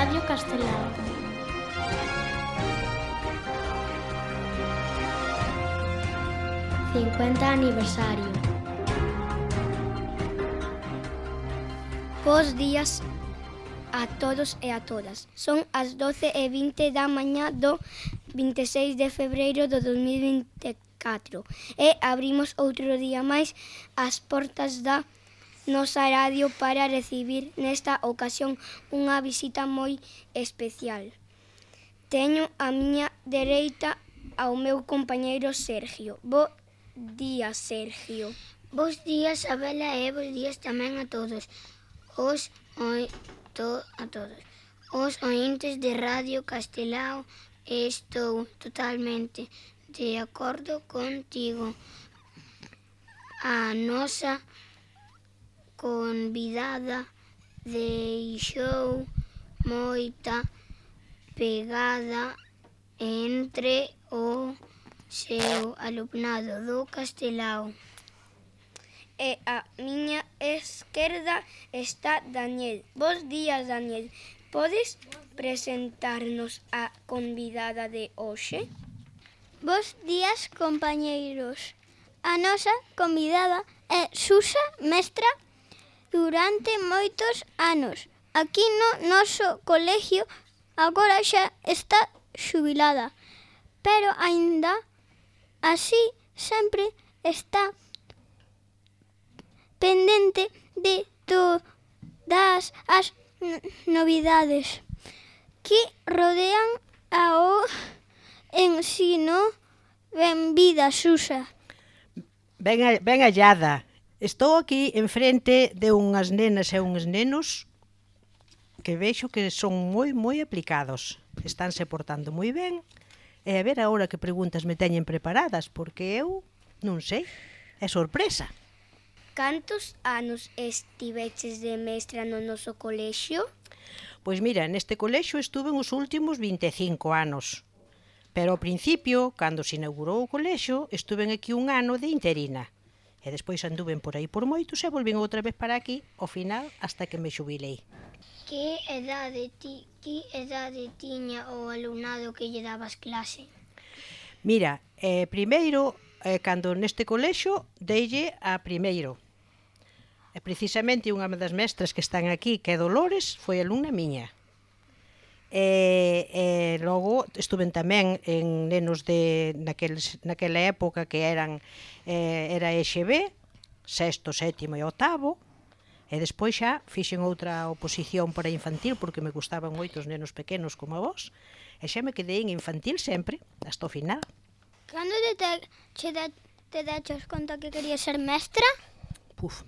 Radio Castelao. ¡50 aniversario! Bos días a todos e a todas. Son as 12:20 da mañá do 26 de febreiro do 2024 e abrimos outro día máis as portas da nosa radio para recibir nesta ocasión unha visita moi especial. Teño a miña dereita ao meu compañeiro Sergio. Bo día, Sergio. Bos días, Abela, e bos días tamén a todos os ointes de Radio Castelao. Estou totalmente de acordo contigo. A nosa convidada deixou moita pegada entre o seu alumnado do Castelao. E a miña esquerda está Daniel. Bos días, Daniel. Podes presentarnos a convidada de hoxe? Bos días, compañeiros. A nosa convidada é Susa, mestra durante moitos anos. Aquí no noso colegio agora xa está xubilada, pero aínda así sempre está pendente de todas as novidades que rodean ao ensino. Benvida, Susa. Ben hallada. Estou aquí enfrente de unhas nenas e uns nenos que vexo que son moi aplicados. Estánse portando moi ben. E a ver agora que preguntas me teñen preparadas, porque eu non sei. É sorpresa. Cantos anos estiveches de mestra no noso colexio? Pois mira, neste colexio estuve os últimos 25 anos. Pero ao principio, cando se inaugurou o colexio, estuve aquí un ano de interina. E despois anduven por aí por moitos e volvín outra vez para aquí, ao final, hasta que me xubilei. Que edade tiña o alumnado que lle dabas clase? Mira, primeiro, cando neste colexio, deille a primeiro. E precisamente unha das mestras que están aquí, que é Dolores, foi alumna miña. E logo estuve tamén en nenos de naquela época que era EXB, sexto, sétimo e octavo, e despois xa fixen outra oposición para infantil porque me gustaban moito os nenos pequenos como a vos, e xa me quedei en infantil sempre, hasta o final. Cando te daches conta que querías ser mestra?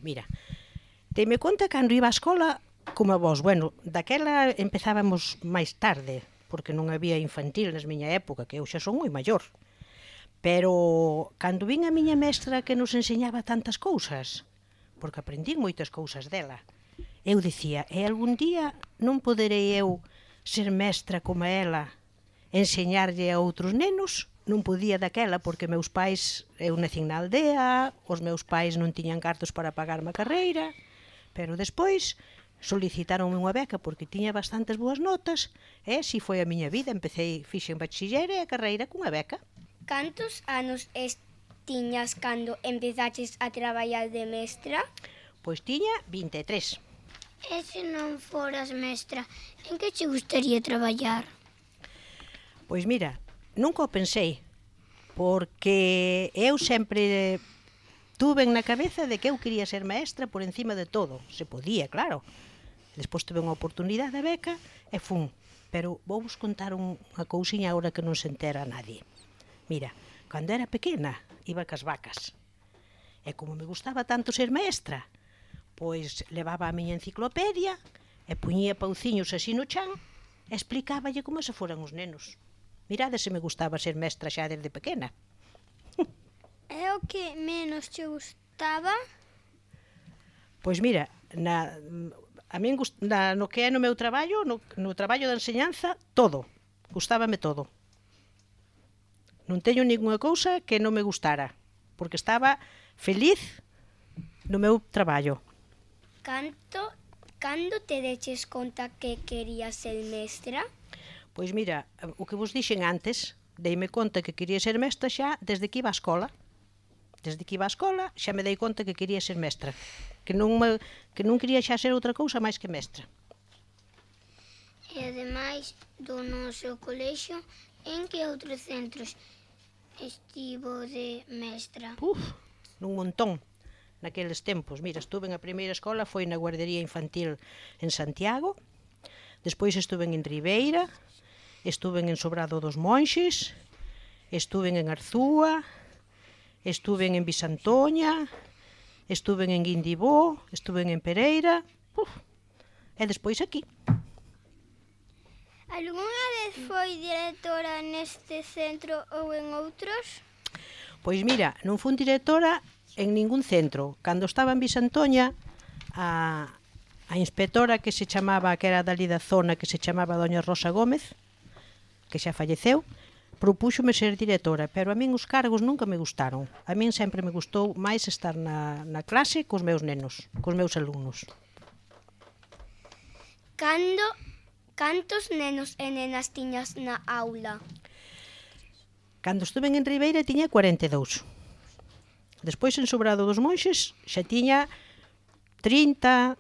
Mira, teime conta cando iba á escola como a vos. Bueno, daquela empezábamos máis tarde, porque non había infantil na miña época, que eu xa son moi maior. Pero cando vin a miña mestra que nos enseñaba tantas cousas, porque aprendín moitas cousas dela, eu dicía, algún día non poderei eu ser mestra como ela, enseñarlle a outros nenos? Non podía daquela porque meus pais, eu nacín na aldea, os meus pais non tiñan cartos para pagarme a carreira, pero despois solicitaronme unha beca porque tiña bastantes boas notas e así foi a miña vida. Fixen bachiller e a carreira cunha beca. Cantos anos tiñas cando empezaches a traballar de mestra? Pois tiña 23. E se non foras mestra, en que che gustaría traballar? Pois mira, nunca o pensei, porque eu sempre tuve na cabeza de que eu quería ser maestra por encima de todo. Se podía, claro. Despois tuve unha oportunidade de beca e fun. Pero vou vos contar unha cousiña agora que non se entera a nadie. Mira, cando era pequena, iba cas vacas. E como me gustaba tanto ser maestra, pois levaba a miña enciclopedia e puñía pauciños así no chan e explicáballe como se foran os nenos. Mirade se me gustaba ser mestra xa desde pequena. É o que menos che gustaba? Pois mira, a min no que é no meu traballo, no traballo da enseñanza, todo. Gustábame todo. Non teño ningunha cousa que non me gustara, porque estaba feliz no meu traballo. Canto Cando te deches conta que querías ser mestra? Pois mira, o que vos dixen antes, deime conta que quería ser mestra xa desde que iba á escola. Desde que iba á escola xa me dei conta que quería ser mestra. Que non quería xa ser outra cousa máis que mestra. E ademais do noso colexio, en que outros centros estivo de mestra? Nun montón. Naqueles tempos, mira, estuve en a primeira escola, foi na guardería infantil en Santiago, despois estuve en Ribeira, estuve en Sobrado dos Monxes, estuve en Arzúa, estuve en Bisantoña, estuve en Guindibó, estuve en Pereira, e despois aquí. Algúna vez foi directora neste centro ou en outros? Pois mira, non fun directora en ningún centro. Cando estaba en Bisantoña, a inspectora que se chamaba, que era dali da zona, que se chamaba doña Rosa Gómez, que xa falleceu, propúxome ser directora, pero a min os cargos nunca me gustaron. A min sempre me gustou máis estar na clase cos meus nenos, cos meus alumnos. Cantos nenos e nenas tiñas na aula? Cando estuve en Ribeira tiña 42. Despois en Sobrado dos Monxes xa tiña 30,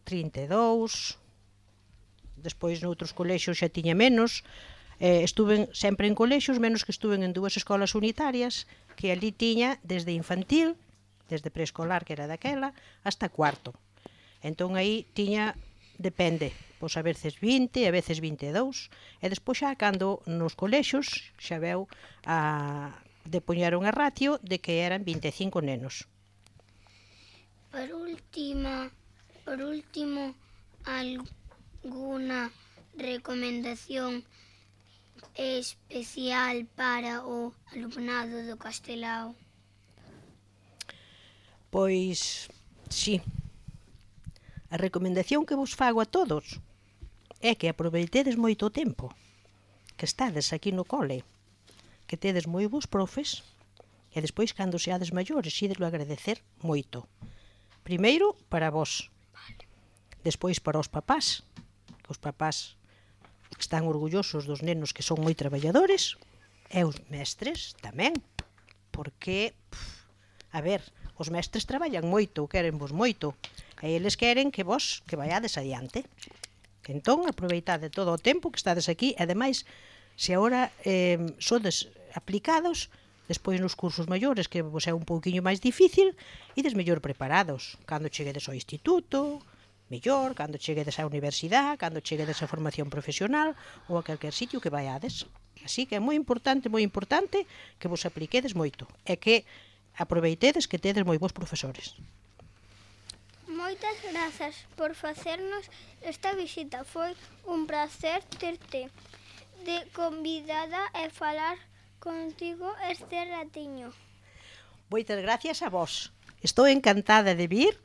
32. Despois noutros colexios xa tiña menos. Estuve sempre en colexios, menos que estuve en 2 escolas unitarias, que ali tiña desde infantil, desde preescolar, que era daquela, hasta cuarto. Entón aí tiña, depende, pois a veces 20, a veces 22, e despois xa cando nos colexios xa veu depuñaron a ratio de que eran 25 nenos. Por último, alguna recomendación especial para o alumnado do Castelao? Pois, sí. A recomendación que vos fago a todos é que aproveitedes moito o tempo que estades aquí no cole, que tedes moi bons profes, e despois, cando seades maiores, idelo agradecer moito. Primeiro, para vos. Despois, para os papás, que os papás están orgullosos dos nenos que son moi traballadores, e os mestres tamén, porque, a ver, os mestres traballan moito, queren vos moito, e eles queren que vos que vaiades adiante. Entón, aproveitade todo o tempo que estades aquí, e ademais, se agora sodes aplicados, despois nos cursos maiores, que vos é un pouquiño máis difícil, ides mellor preparados. Cando cheguedes ao instituto, mellor, cando cheguedes á universidade, cando cheguedes á formación profesional ou a calquer sitio que vaiades. Así que é moi importante que vos apliquedes moito e que aproveitedes que tedes moi bons profesores. Moitas grazas por facernos esta visita. Foi un placer terte de convidada e falar contigo este ratiño. Moitas gracias a vos. Estou encantada de vir,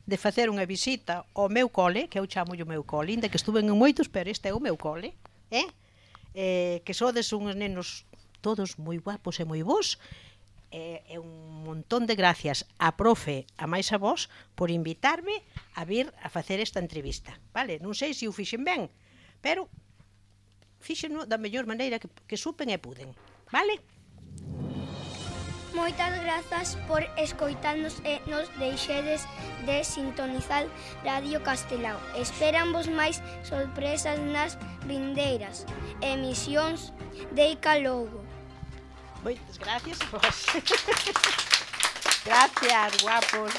de facer unha visita ao meu cole, que eu chamo o meu cole, inda que estuve en moitos, pero este é o meu cole, que sodes uns nenos todos moi guapos e moi bons, e un montón de gracias a profe, a máis a vos, por invitarme a vir a facer esta entrevista. Vale? Non sei se o fixen ben, pero fíxeno da mellor maneira que supen e puden. Vale? Moitas grazas por escoitarnos e nos deixedes de sintonizar Radio Castelao. Esperamos máis sorpresas nas vindeiras emisións de Icalogo. Moitas gracias a vos. Gracias, guapos.